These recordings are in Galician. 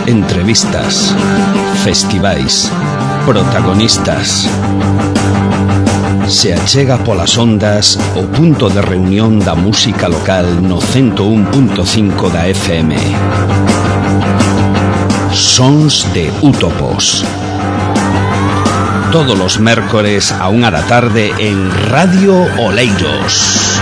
entrevistas, festivais, protagonistas. Se achega polas ondas o punto de reunión da música local no 101.5 da FM. Sons de Útopos. Todos los mércores a 1 da tarde en Radio Oleiros.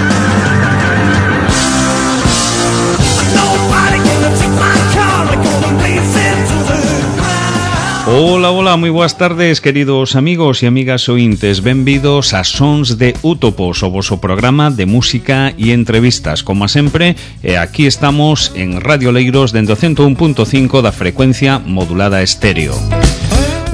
Hola, hola, moi boas tardes, queridos amigos e amigas ointes. Benvidos a Sons de Útopos, o voso programa de música e entrevistas. Como sempre, aquí estamos en Radio Oleiros dende o 101.5 da frecuencia modulada estéreo.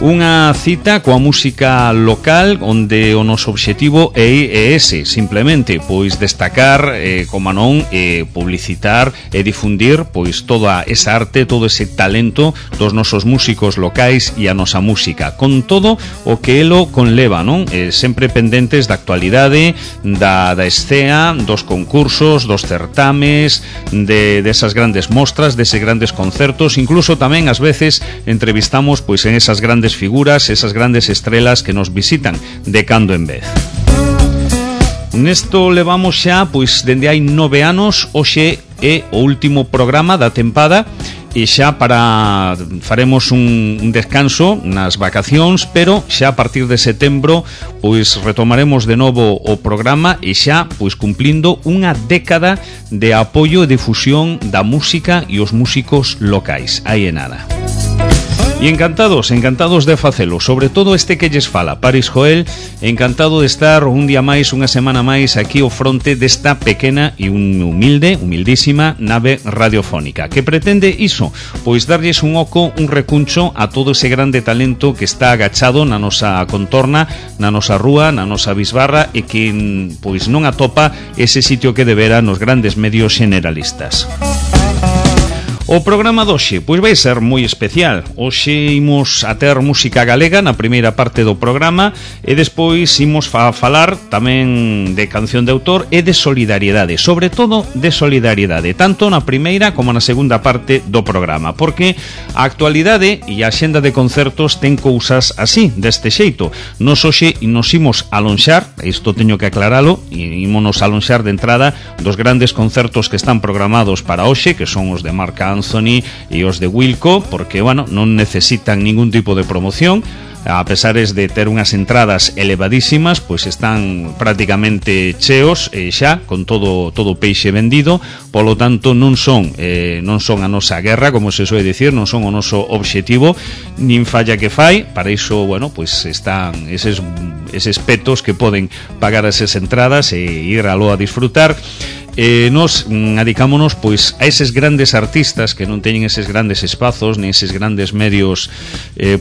Unha cita coa música local onde o noso obxectivo é ese, simplemente, pois destacar, como non, publicitar e difundir pois toda esa arte, todo ese talento dos nosos músicos locais e a nosa música, con todo o que elo conleva, non? Sempre pendentes da actualidade, da escena, dos concursos, dos certames, desas grandes mostras, deses grandes concertos, incluso tamén ás veces entrevistamos pois en esas grandes figuras, esas grandes estrelas que nos visitan de cando en vez. Nesto levamos xa, pois, dende hai 9 anos, hoxe é o último programa da tempada e xa faremos un descanso nas vacacións, pero xa a partir de setembro pois retomaremos de novo o programa e xa pois cumplindo unha década de apoio e difusión da música e os músicos locais. Aí é nada. E encantados de facelo, sobre todo este que lles fala, Paris Joel, encantado de estar un día máis, unha semana máis aquí ao fronte desta pequena e humildísima nave radiofónica, que pretende iso, pois darlles un oco, un recuncho a todo ese grande talento que está agachado na nosa contorna, na nosa rúa, na nosa bisbarra e que pois non atopa ese sitio que debera nos grandes medios generalistas. O programa doxe, pois vai ser moi especial. Hoxe imos a ter música galega na primeira parte do programa e despois imos a falar tamén de canción de autor e de solidariedade, sobre todo de solidariedade, tanto na primeira como na segunda parte do programa, porque a actualidade e a xenda de concertos ten cousas así, deste xeito. Nos hoxe nos imos alonxar, isto teño que aclaralo, ímonos alonxar de entrada dos grandes concertos que están programados para hoxe, que son os de Marc Anthony e os de Wilco, porque, bueno, non necesitan ningún tipo de promoción. A pesares de ter unhas entradas elevadísimas, pois están prácticamente cheos xa, con todo o peixe vendido. Polo tanto, non son a nosa guerra, como se soe dicir, non son o noso obxectivo, nin falla que fai. Para iso, bueno, pois están eses petos que poden pagar esas entradas e ir aló a disfrutar. Nos adicámonos pois a eses grandes artistas que non teñen eses grandes espazos nin eses grandes medios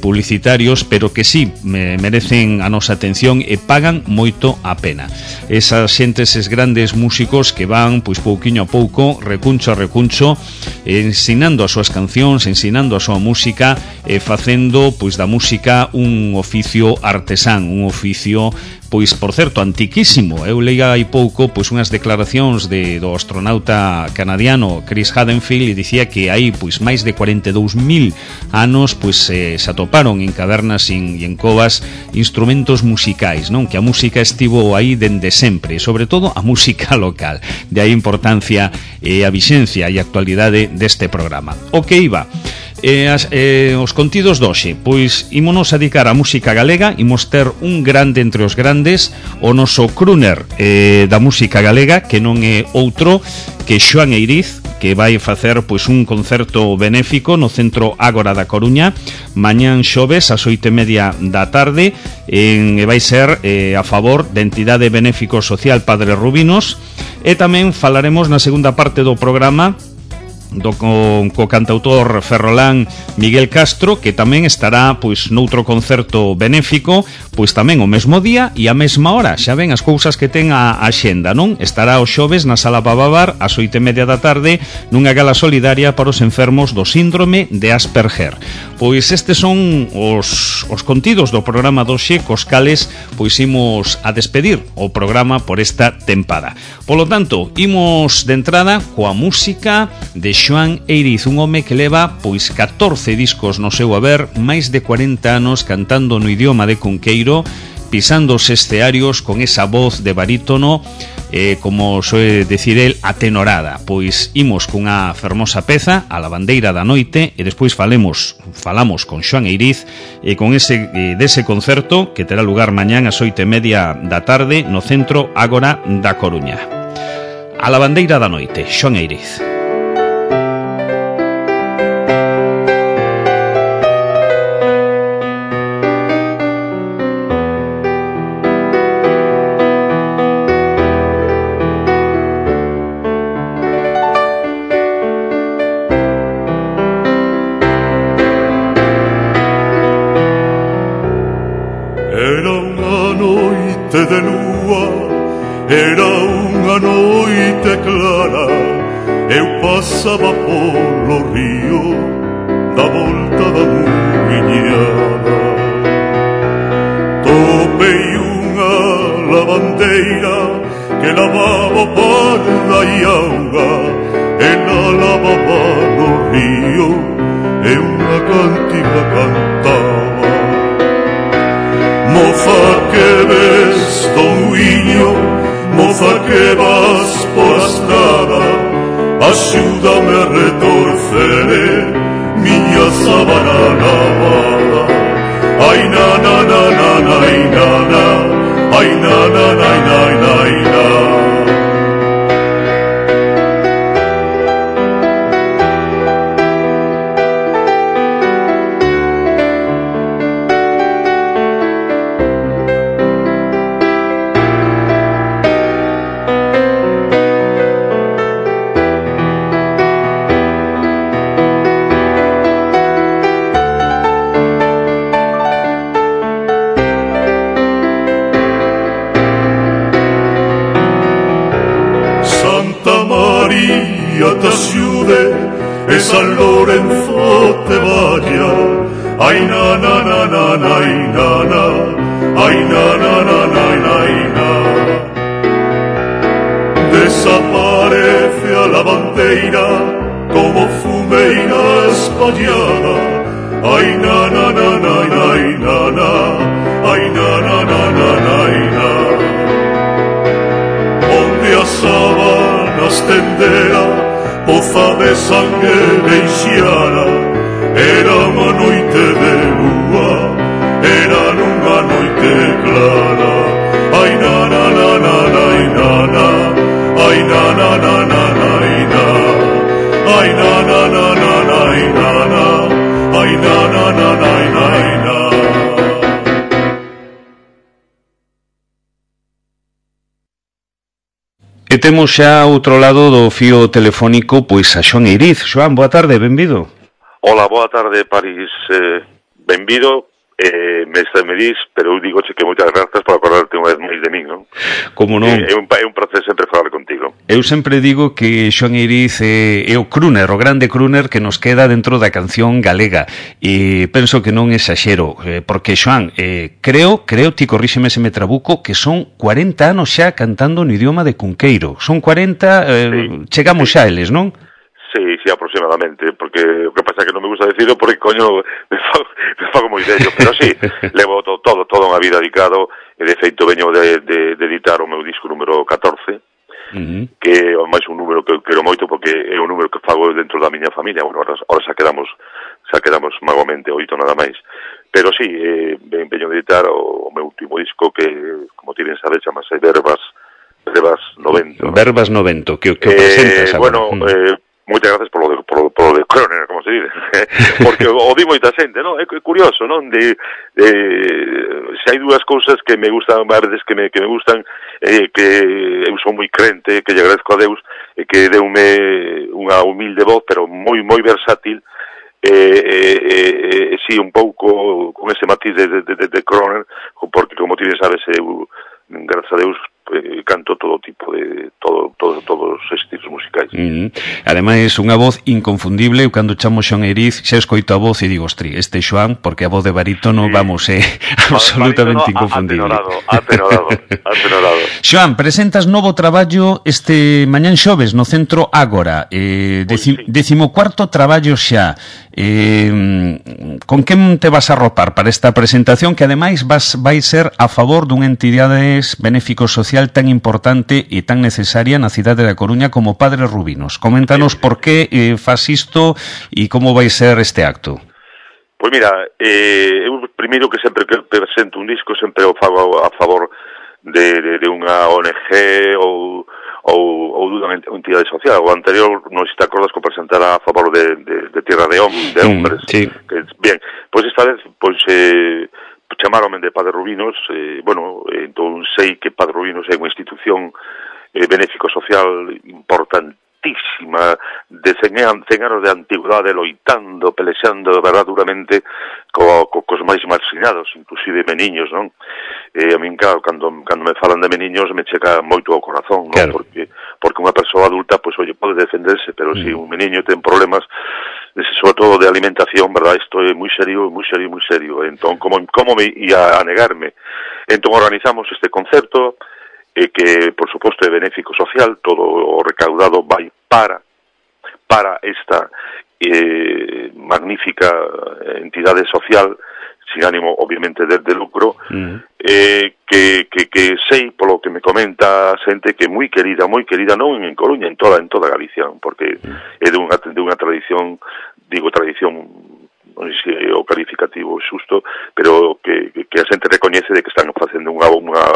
publicitarios, pero que sí merecen a nosa atención e pagan moito a pena. Esas xentes, eses grandes músicos que van pois pouquiño a pouco, recuncho a recuncho, ensinando as súas cancións, ensinando a súa música e facendo pois da música un oficio artesán, un oficio pois, por certo, antiquísimo. Eu leía hai pouco pois unhas declaracións do astronauta canadiano Chris Hadfield e dicía que hai pois máis de 42.000 anos pois se atoparon en cavernas e en covas instrumentos musicais, non? Que a música estivo aí dende sempre, sobre todo a música local. De aí a importancia e a vixencia e a actualidade deste programa. O que iba? Os contidos doxe, pois ímonos a dedicar a música galega, imos ter un grande entre os grandes, o noso crooner da música galega, que non é outro que Xoán Eiriz, que vai facer pois un concerto benéfico no Centro Ágora da Coruña mañán xoves ás 8:30 da tarde, e vai ser a favor da entidade benéfico social Padre Rubinos. E tamén falaremos na segunda parte do programa co cantautor ferrolán Miguel Castro, que tamén estará pois noutro concerto benéfico, pois tamén o mesmo día e a mesma hora. Xa ven as cousas que ten a xenda, non? Estará o xoves na Sala Bababar ás 8:30 da tarde nunha gala solidaria para os enfermos do síndrome de Asperger. Pois estes son os contidos do programa doxe, cos cales pois imos a despedir o programa por esta tempada. Polo tanto, imos de entrada coa música de Xoán Eiriz, un home que leva pois 14 discos no seu haber, máis de 40 anos cantando no idioma de Cunqueiro, pisando os escearios con esa voz de barítono, como soe decir el, atenorada. Pois imos cunha fermosa peza, A lavandeira da noite, e despois falamos con Xoán Eiriz e con dese concerto que terá lugar mañán ás 8:30 da tarde no Centro Ágora da Coruña. A lavandeira da noite, Xoán Eiriz. De lúa, era unha noite clara, eu pasaba polo río da volta da muiñada. Topei unha lavandeira que lavaba o parda e auga, ela lavaba no río e unha cantiga cantaba. Moza que ves do muiño, moza que vas pola estrada, axúdame a retorcer miña sábana lavada. Ai na na na na na, ai na na, ai na na na na na na. Te axude e San Lorenzo te vaya. Ai na na na na na na na, ai na na na na na na. Desaparece a lavandeira como fumeira espallada. Ai na na na na na na, ai na na na na na na. Onde as sábanas tendera, poza de sangue deixara, era unha noite de lúa, era nunha noite clara. Ai na na na na na na, ai na na na na na na, ai na na na na na na, ai na na na na na na. E temos xa outro lado do fío telefónico pois a Xoán Eiriz. Xoán, boa tarde, benvido. Hola, boa tarde, París. Benvido. Mestre me dis, pero eu digoche que moitas grazas por acordarte unha vez máis de min, non? Como non? É un placer sempre falar contigo. Eu sempre digo que Xoán Eiriz é o crooner, o grande crooner que nos queda dentro da canción galega, e penso que non exaxero, porque Xoán, creo, ti corríxeme se me trabuco, que son 40 anos xa cantando no idioma de Cunqueiro. Son 40, sí, chegamos xa eles, non? Sí, aproximadamente, porque o que pasa é que non me gusta decirlo porque, coño, me fago moi vello, pero sí, levo toda unha vida dedicado, e de feito veño de editar o meu disco número 14, que é máis un número que eu quero moito porque é un número que fago dentro da miña familia. Bueno, ahora xa quedamos magamente 8 nada máis, pero sí, veño de editar o meu último disco que, como tienen saber, chamase Verbas 90. Verbas 90, que presentas agora. Bueno, moitas gracias por lo de Croner, como se dice, porque o di moita xente, non? É curioso, non? Se hai dúas cousas que me gustan, a veces que me gustan, que eu son moi crente, que lle agradezco a Deus, que deume unha humilde voz, pero moi versátil, si, un pouco con ese matiz de Croner, porque, como ti sabes, eu, grazas a Deus, canto todo tipo de todos os estilos musicais. Ademais, unha voz inconfundible. Eu cando chamo Xoan Eiriz xa escoito a voz e digo, ostri, este Xoan, porque a voz de barítono, vamos, é absolutamente inconfundible. Atenorado. Xoan, presentas novo traballo este mañán xoves no Centro Ágora, 14º traballo xa. Con quen te vas a arropar para esta presentación, que ademais vai ser a favor dunha entidade benéfico social tan importante e tan necesaria na cidade da Coruña como Padre Rubinos? Coméntanos por que fas isto e como vai ser este acto. Pois mira, eu primeiro que sempre que presento un disco sempre o fago a favor de unha ONG ou dunha entidade social. O anterior, non sei se te acordas, que presentara a favor de Tierra de Hombres. Sí. Bien, pois esta vez chamaronme de Padre Rubinos, entón sei que Padre Rubinos é unha institución benéfico social importantísima, de 100 anos de antigüedade, loitando, pelexando, verdad, duramente cos máis marxinados, inclusive meniños, non? A min, claro, cando me falan de meniños me checa moito ao corazón, non? Claro. Porque unha persoa adulta, pois, pode defenderse, pero se un meniño ten problemas, sobre todo de alimentación, verdad, isto é moi serio. Entón, como me ia a negarme? Entón, organizamos este concerto, que, por suposto, é benéfico social, todo o recaudado vai para esta magnífica entidade social, sin ánimo, obviamente, de lucro, que sei, polo que me comenta a xente, que é moi querida, non en Coruña, en toda Galicia, porque é dunha tradición, non sei se é o calificativo xusto, pero que a xente recoñece de que están facendo unha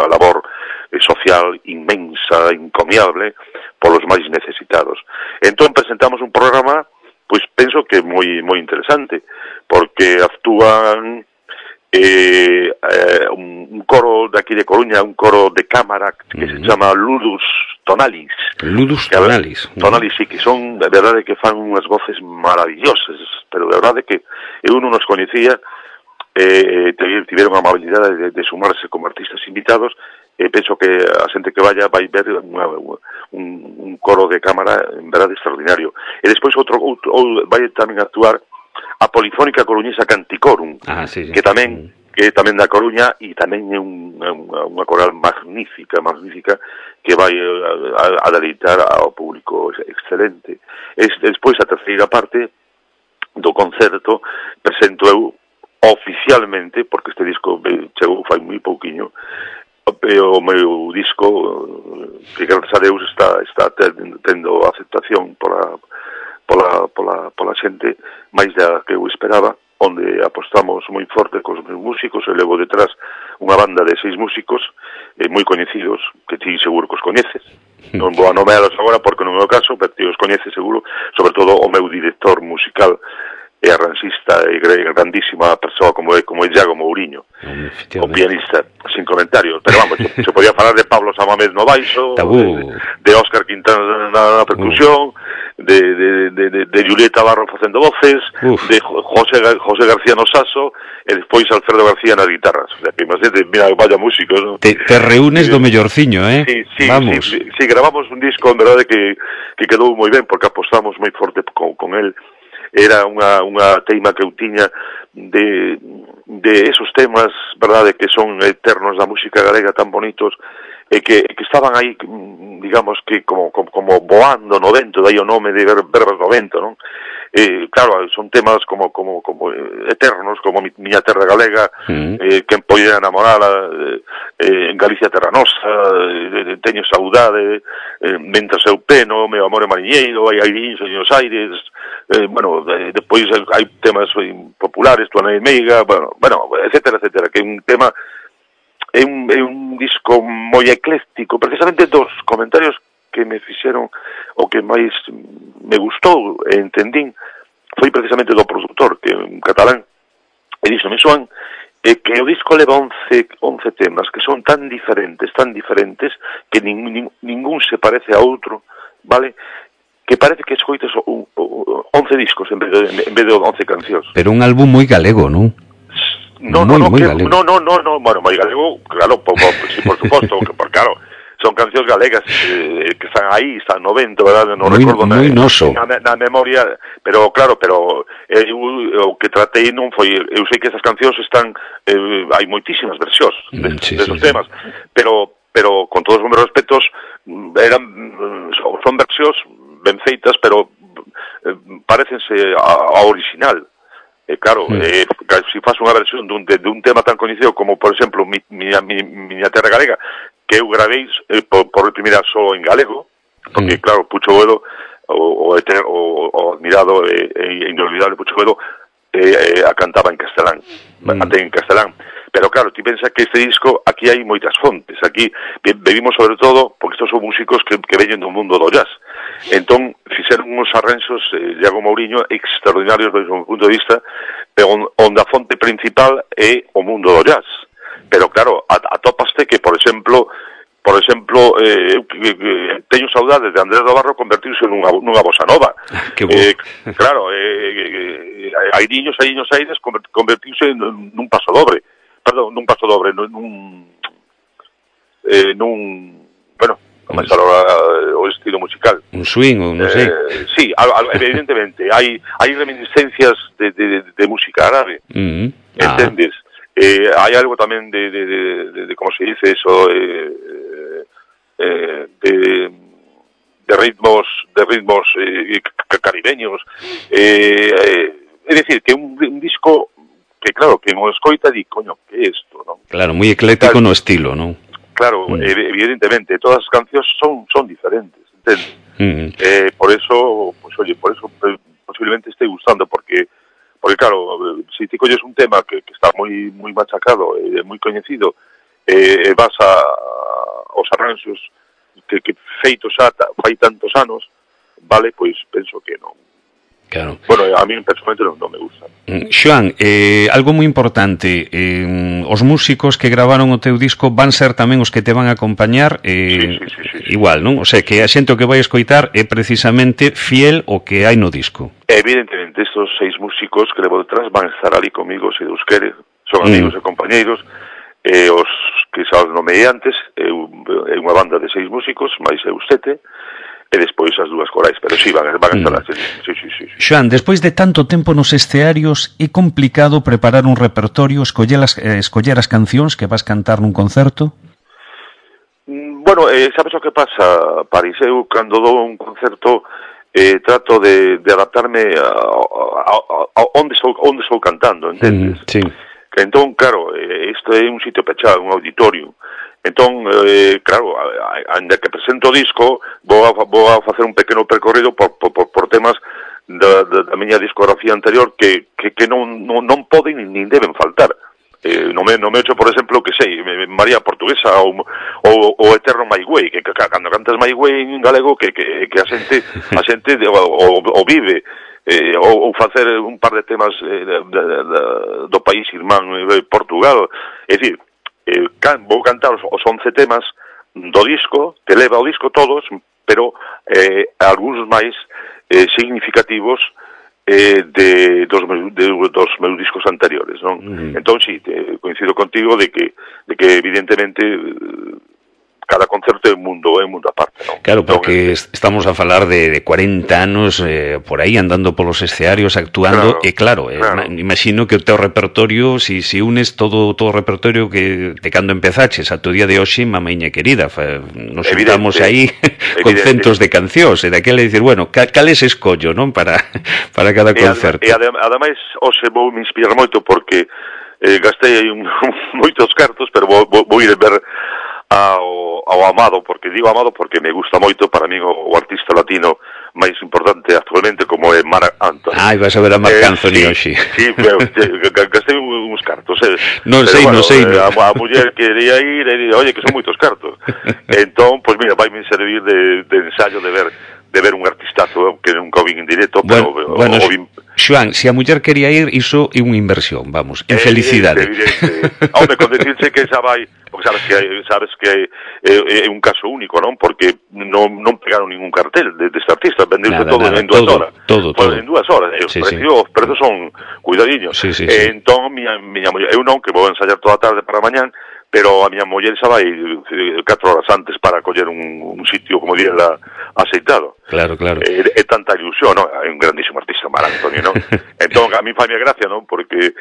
labor social inmensa, encomiable, polos máis necesitados. Entón presentamos un programa, pois penso que moi interesante, porque actúan un coro de aquí de Coruña, un coro de cámara que se chama Ludus Tonalis. Tonalis, sí, que son, de verdade, que fan unhas voces maravillosas, pero de verdade que eu non nos coñecía, tiveron a amabilidade de sumarse como artistas invitados, e penso que a xente que vai ver un coro de cámara en verdade extraordinario. E despois vai tamén actuar a Polifónica Coruñesa Canticorum, que tamén da Coruña, e tamén é unha coral magnífica, que vai a deleitar ao público excelente. Despois, a terceira parte do concerto, presento eu oficialmente, porque este disco chegou fai moi pouquiño, o meu disco, que gracias a Deus está tendo aceptación pola xente máis da que eu esperaba, onde apostamos moi forte cos meus músicos, e levo detrás unha banda de 6 músicos moi coñecidos, que ti seguro que os coñeces. Non vou a nomealos agora porque non é o caso, pero ti os coñeces seguro, sobre todo o meu director musical e arranxista e grandísima persoa como é Iago Mouriño, o pianista, sin comentarios. Pero vamos, se podía falar de Pablo Samamés no baixo, de Óscar Quintana na percusión, de Julieta Barro facendo voces, de José García no saxo, e despois Alfredo García nas guitarras. O sea, que imagínate, mira, vaya músicos, ¿no? Te reúnes do mellorciño, Sí, vamos. Sí, grabamos un disco, en verdade, que quedou moi ben, porque apostamos moi forte con él. Era unha teima que eu tiña de esos temas, verdade, que son eternos da música galega, tan bonitos, e que estaban aí, digamos, que como voando no vento, dai o nome de Verbas no vento, non? Claro, son temas como eternos, como Miña Terra Galega, quen poida enamorala, en Galicia Terra Nosa, Teño saudade, Mentras eu peno, Meu amor é mariñeiro, Hai airíns en os aires, despois hai temas populares, Tuana e Meiga, etcétera, que é un tema, é un disco moi ecléctico, precisamente dos comentarios que me fixeron, o que máis me gustou e entendín, foi precisamente do produtor, que é un catalán, e díxome, Xoan, que o disco leva 11 temas, que son tan diferentes, que ningún se parece a outro, vale? Que parece que escoites 11 discos en vez de 11 cancións. Pero un álbum moi galego, non? Moi galego. Bueno, moi galego, claro, sí, por suposto, porque claro, son cancións galegas que están aí, están no vento, verdade? Non recordo na memoria, pero claro, o que tratei non foi, eu sei que esas cancións están, hai moitísimas versións desos temas, pero con todos os meus respetos son versións ben feitas, pero parecense a original. Claro, se faz unha versión dun tema tan coñecido como, por exemplo, Miña Terra Galega, que eu gravei por primeira só en galego, porque, claro, Pucho Boedo, o admirado e inolvidable Pucho Boedo, a cantaba en castelán, en castelán. Pero claro, ti pensa que este disco, aquí hai moitas fontes, aquí bebimos sobre todo, porque estos son músicos que veñen do mundo do jazz. Entón, fixeron uns arranxos, Iago Mouriño, extraordinarios desde o meu punto de vista, onde a fonte principal é o mundo do jazz. Pero claro, atópaste que, por exemplo, teño saudades de Andrés do Barro convertirse nunha bossa nova. Claro, Airiños Aires convertirse nun paso dobre. Perdón, nun paso dobre, bueno, máis agora o estilo musical. Un swing, ou non sei. Sí, evidentemente, hai reminiscencias de música árabe, entendes? Hai algo tamén de como se dice eso, de ritmos caribeños. É dicir, que un disco que claro, que non escoita di, coño, que é isto, non? Claro, moi ecléctico no estilo, non? Claro, evidentemente, todas as cancións son diferentes, entende? Por eso, pues oye, posiblemente esté gustando, porque claro, se ti colles un tema que está moi machacado, moi coñecido, vas aos arranxos que feitos xa fai tantos anos, vale, pois penso que non. Claro. Bueno, a mí personalmente non me gusta. Xoan, algo moi importante, os músicos que gravaron o teu disco van ser tamén os que te van a acompañar, sí. igual, non? O sea, que a xente o que vai escoitar é precisamente fiel ao que hai no disco. Evidentemente, estos 6 músicos que levo detrás van a estar ali comigo, se Deus quere, son amigos e compañeiros, os que xa os nomeei antes, é unha banda de 6 músicos, máis eu 7, e despois as 2 corais, pero sí, van a estar así. Sí. Xoan, despois de tanto tempo nos escearios, é complicado preparar un repertorio, escoller as cancións que vas cantar nun concerto? Bueno, sabes o que pasa, París? Eu, cando dou un concerto, trato de adaptarme a onde estou cantando, entendes? Sí. Entón, claro, isto é un sitio pechado, un auditorio. Entón, claro, ainda que presento o disco, vou a facer un pequeno percorrido por temas da miña discografía anterior que non poden nin deben faltar. Non me echo, por exemplo, que sei, María Portuguesa ou Eterno My Way, que cando cantas My Way en galego que a xente o vive, ou facer un par de temas do país irmán Portugal. É dicir, vou cantar os 11 temas do disco, que leva o disco todos, pero algúns máis significativos dos meus discos anteriores, non? Entón, sí, coincido contigo de que evidentemente cada concerto é un mundo aparte, non? Claro, porque estamos a falar de 40 anos por aí andando polos escenarios actuando, e claro. Imagino que o teu repertorio, si unes todo o repertorio que de cando empezaches a tu día de hoxe, mamiña querida, nos juntamos aí con centos de cancións, e daquela dicir, bueno, cales escollo, non? Para cada concerto. E ademais, hoxe vou me inspirar moito porque gastei aí moitos cartos, pero vou ir a ver ao Amado, porque digo Amado porque me gusta moito, para mí o artista latino máis importante actualmente como é Marc Anthony. Vas a ver a Marc Anthony hoxe. Sí, pero gastei uns cartos. Non sei. A muller quería ir e oye, que son moitos cartos. Entón, pois mira, vai me servir de ensayo de ver un artistazo que nunca o vin en directo, pero bueno, Xoan, se a muller quería ir, iso é unha inversión, vamos, en felicidade. Evidente. Home, con decirse que xa vai, porque sabes que é un caso único, non? Porque non pegaron ningún cartel deste artista, vendeuse todo en 2 horas. Todo. En 2 horas, os prezos son cuidadiños. Sí. Entón, miña muller, eu non, que vou ensayar toda a tarde para mañán, pero a miña muller xa vai 4 horas antes para coller un sitio, como diría, aceitado. Claro. É tanta ilusión, non? É un grandísimo artista, Mar Antoni, non? Entón, a mí faime gracia, non? Porque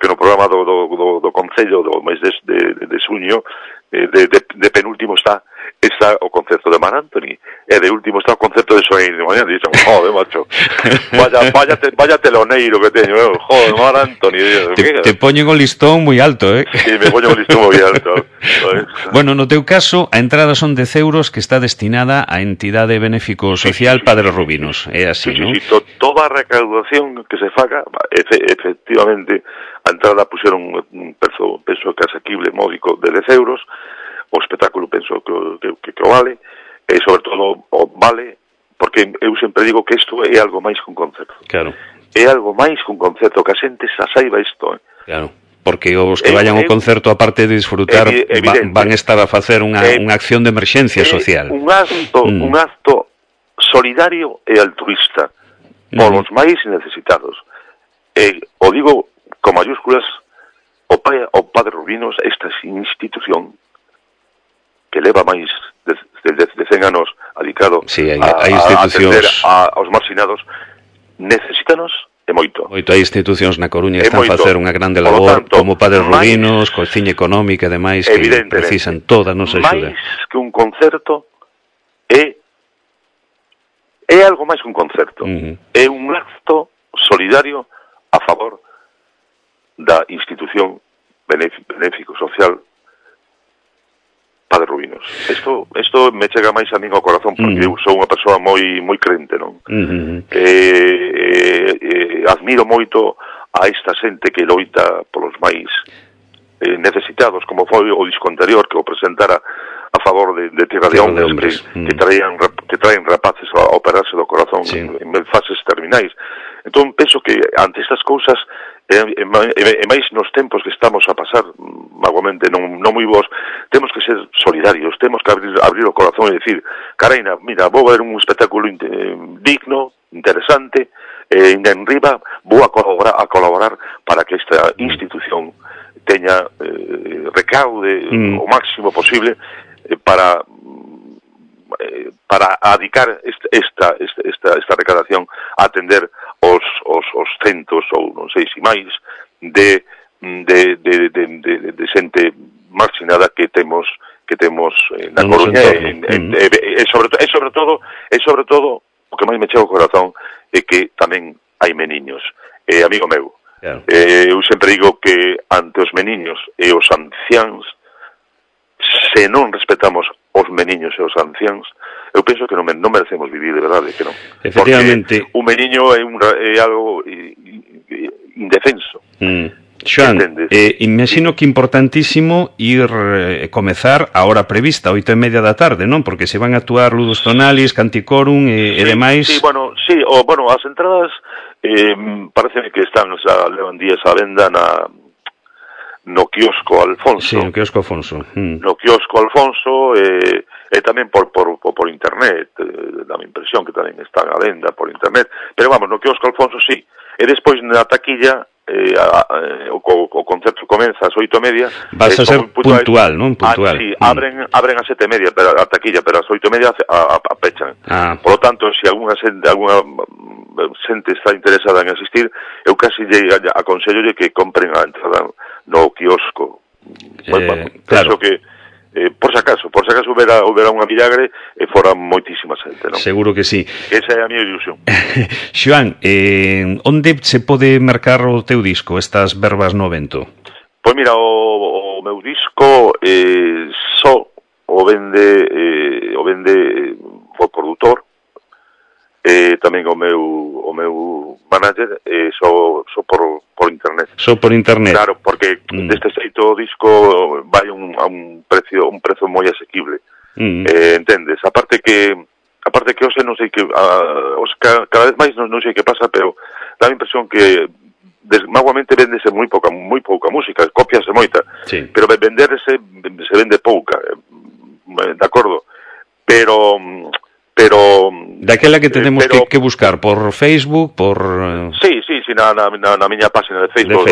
no programa do Concello do mes de xuño, de penúltimo está o concerto de Mar Antoni, e de último está o concerto de Soein de mañana, e dixen, joder, macho, vaya teloneiro que teño, joder, Mar Antoni. Te poñen o listón moi alto, Sí, me poñen o listón moi alto. Bueno, no teu caso, a entrada son 10 euros que está destinada á entidade benéfico social Padre Rubinos, é así, non? Sí, toda a recaudación que se faga, efectivamente, a entrada puxeron un penso que asequible módico de 10 euros, o espectáculo penso que o vale, e sobre todo o vale, porque eu sempre digo que isto é algo máis que un concerto. Claro. É algo máis que un concerto, que a xente xa saiba isto. Claro, porque os que vayan ao concerto, aparte de disfrutar, van estar a facer unha acción de emerxencia social. Un acto solidario e altruista polos máis necesitados. O digo con mayúsculas, o Padre Rubinos, esta institución que leva máis de 100 anos dedicado a atender aos marxinados, necesítanos e moito. Hai institucións na Coruña que están a facer unha grande labor, como Padre Rubinos, Cociña Económica e demais, que precisan toda a nosa axuda. Máis que un concerto é algo máis que un concerto. É un acto solidario a favor da institución benéfico social Padre Rubinos. Isto me chega máis a min ao corazón, porque eu sou unha persoa moi crente, non? Admiro moito a esta xente que loita polos máis necesitados, como foi o disco anterior que o presentara a favor de Tierra de Hombres, que traen rapaces a operarse do corazón en fases terminais. Entón, penso que ante estas cousas, e máis nos tempos que estamos a pasar, magoamente non moi vos, temos que ser solidarios, temos que abrir o corazón e dicir, caraina, mira, vou ver un espectáculo digno, interesante, en riba vou a colaborar para que esta institución teña recaude o máximo posible para adicar esta recaudación a atender os centos, ou non sei se máis, de xente marxinada que temos na Coruña, e sobre todo o que máis me chega ao corazón é que tamén hai meniños. Amigo meu, eu sempre digo que ante os meniños e os anciáns, se non respetamos os meniños e os anciáns, eu penso que non merecemos vivir, de verdade, que non. Efectivamente. Porque un meniño é algo indefenso. Xoan, imagino que importantísimo ir comezar a hora prevista, 8:30 da tarde, non? Porque se van a actuar Ludus Tonalis, Canticorum e demais. Sí, as entradas parece que están, levan días a venda no quiosco Alfonso. Sí, no quiosco Alfonso. No quiosco Alfonso e tamén por internet, dá a impresión que tamén están a venda por internet, pero vamos, no quiosco Alfonso sí, e despois na taquilla o concerto comeza ás 8:30. Vas a ser puntual, non? Puntual. Sí, abren ás 7:30 a taquilla, pero ás 8:30 a pechan. Por lo tanto, se alguna xente está interesada en asistir, eu casi aconsellolle que compren a entrada no quiosco. Claro. Penso que por si acaso houbera unha milagre e fora moitísima xente, non? Seguro que sí. Esa é a miña ilusión. Xoan, onde se pode mercar o teu disco, estas verbas no vento? Pois mira, o meu disco só o vende o produtor, tamén o meu manager, só por internet. Só por internet. Claro, porque deste xeito o disco vai a un prezo moi asequible. Entendes? Aparte que hoxe non sei que cada vez máis non sei que pasa, pero dá a impresión que maguamente vendese moi pouca música, copiase moita, pero venderse se vende pouca, de acordo, pero Daquela que tenemos que buscar por Facebook, por... Sí, na miña página de Facebook.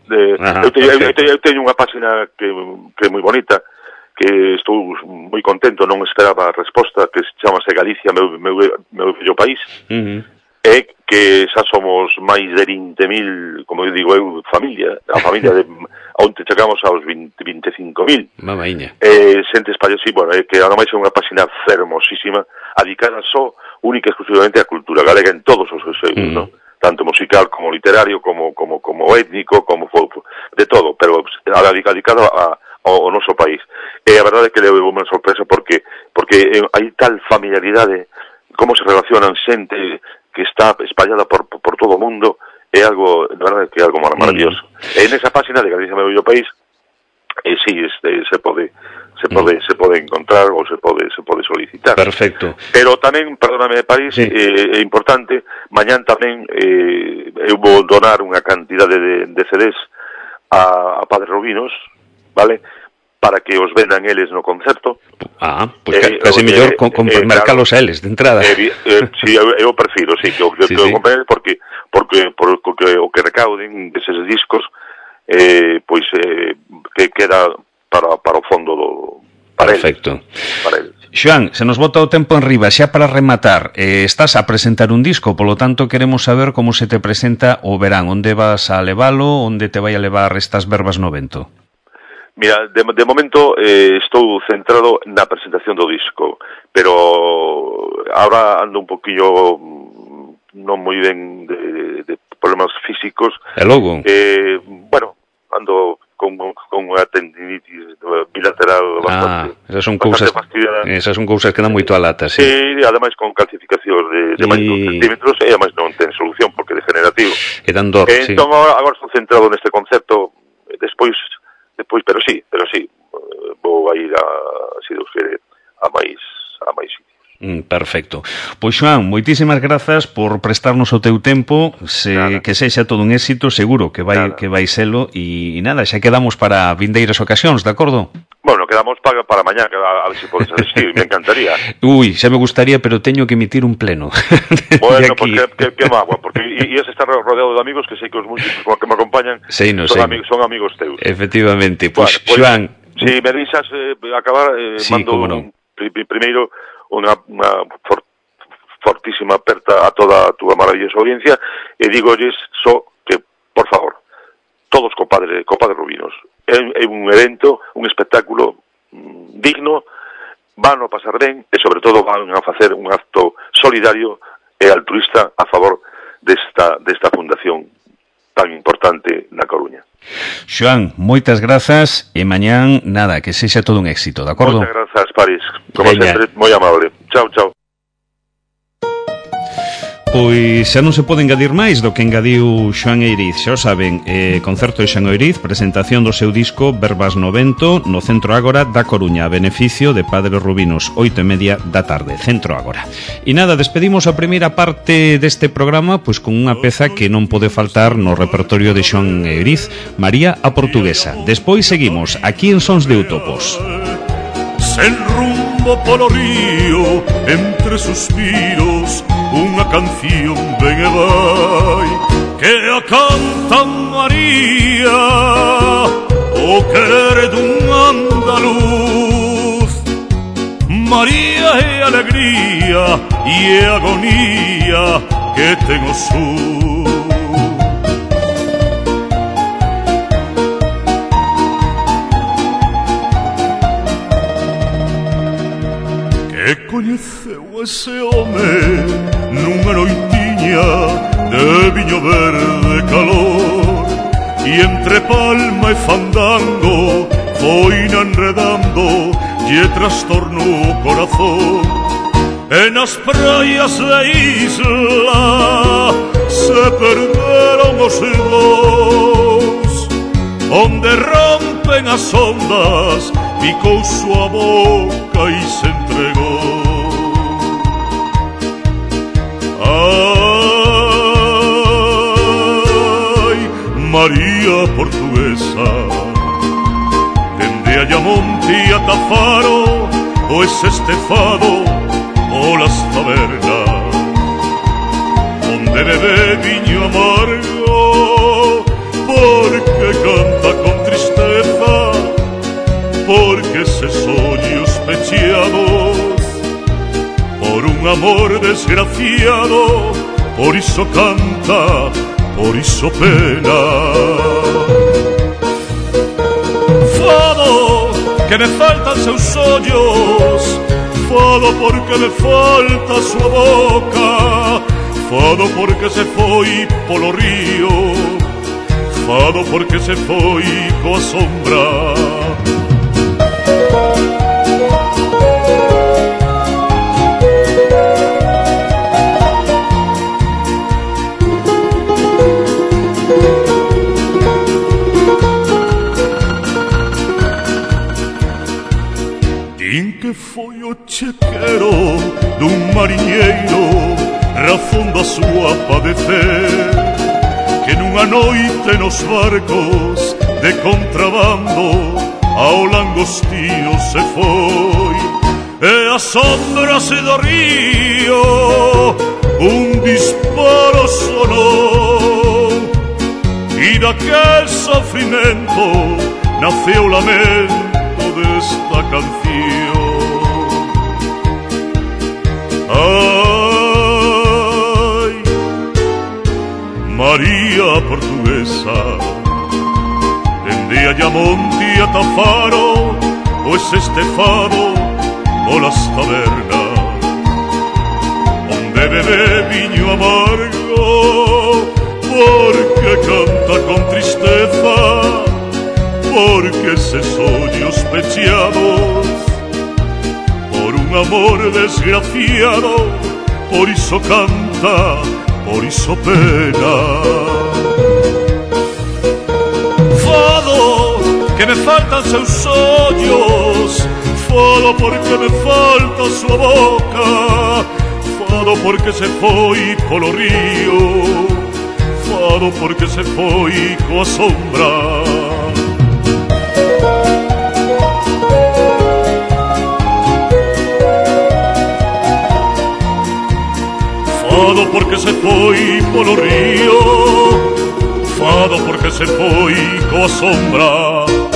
Eu teño unha página que é moi bonita, que estou moi contento, non esperaba a resposta, que se chamase Galicia, meu bello país, e que xa somos máis de 20.000, como eu digo eu, a familia de onde chegamos aos 25.000. Mamaíña. Xente española, sí, bueno, que ademais é unha página fermosísima, dedicada só, única e exclusivamente á cultura galega en todos os seus eios, non? Tanto musical como literario, como étnico, como de todo, pero dedicado ao noso país. E a verdade é que levou unha sorpresa porque hai tal familiaridade, como se relacionan xente que está espallada por todo o mundo, é algo, de verdade, que é algo maravilloso. E nesa página de Galicia Meu Bello País, sí, se pode encontrar ou se pode solicitar. Perfecto. Pero tamén, perdóname, París, é importante, mañán tamén eu vou donar unha cantidade de CDs a Padre Rubinos, vale? Para que os vendan eles no concerto. Pues casi mellor mercalos a eles de entrada. Sí, eu prefiro, sí, que o compren porque o que recauden deses discos pois que queda para o fondo para perfecto. Para eles. Xoan, se nos bota o tempo en riba, xa para rematar, estás a presentar un disco, polo tanto queremos saber como se te presenta o verán, onde vas a levalo, onde te vai a levar estas verbas no vento. Mira, de momento estou centrado na presentación do disco, pero ahora ando un poquillo non moi ben de problemas físicos. E logo? Bueno, ando con unha tendinitis bilateral bastante. Esas son cousas que dan moito a lata, sí. E ademais con calcificacións de máis de 2 centímetros e ademais non ten solución porque é degenerativo. E dan dor, sí. Entón agora estou centrado neste concepto, despois, pero sí, vou a ir se Deus quere, a máis sitios. Perfecto. Pois Xoan, moitísimas grazas por prestarnos o teu tempo, que sexa todo un éxito, seguro que vai selo, e nada, xa quedamos para vindeiras ocasións, de acordo? Bueno, quedamos para mañá, a ver se podes asistir, me encantaría. Xa me gustaría, pero teño que emitir un pleno. Bueno, porque que magua, porque ibas a estar rodeado de amigos que sei que os músicos que me acompañan son amigos teus. Efectivamente, pois Xoan... Si me deixas acabar, mando primeiro unha fortísima aperta a toda a túa maravillosa audiencia e dígolles só que, por favor, todos co Padre Rubinos. É un evento, un espectáculo digno, van a pasar ben e, sobre todo, van a facer un acto solidario e altruista a favor desta fundación tan importante na Coruña. Xoan, moitas grazas e mañán, nada, que sexa todo un éxito, de acordo? Moitas grazas, París. Como sempre, moi amable. Chao, chao. Pois xa non se pode engadir máis do que engadiu Xoan Eiriz. Xa o saben, concerto de Xoan Eiriz, presentación do seu disco Verbas no Vento no Centro Ágora da Coruña, a beneficio de Padre Rubinos, 8:30 da tarde, Centro Ágora. E nada, despedimos a primeira parte deste programa pois con unha peza que non pode faltar no repertorio de Xoan Eiriz, María a Portuguesa. Despois seguimos aquí en Sons de Utopos. Sen rumbo polo río, entre suspiros, unha canción ven e vai, que a canta María, o querer dun andaluz. María é alegría e é agonía que ten o sur. Que coñeceu ese home nunha noitiña de viño verde calor, e entre palma e fandango foi enredando lle trastorno o corazón. E nas praias da isla se perderon os dous, onde rompen as ondas picou súa boca e se entregou. Ai, María Portuguesa, dende Ayamonte a Tafaro, o ese estefado, o las tabernas, onde bebe viño amargo, porque canta con tristeza, porque eses ollos pecheados por un amor desgraciado, por iso canta, por iso pena. Fado que me faltan seus ollos, fado porque me falta a súa boca, fado porque se foi polo río, fado porque se foi coa sombra. Din que foi o chequero dun mariñeiro, razón da súa padecer, que nunha noite nos barcos de contrabando ao langostino se foi, e a sombras do río un disparo sonou, e daquel sofrimento naceu o lamento desta canción. Ai, María Portuguesa, dende Ayamonte ata Faro, pois este fado polas tabernas, onde bebe viño amargo, porque canta con tristeza, porque eses ollos pecheados por un amor desgraciado, por iso canta, por iso pena. Fado que me faltan seus ollos, fado porque me falta a súa boca, fado porque se foi polo río, fado porque se foi coa sombra. Fado porque se foi polo río, fado porque se foi coa sombra.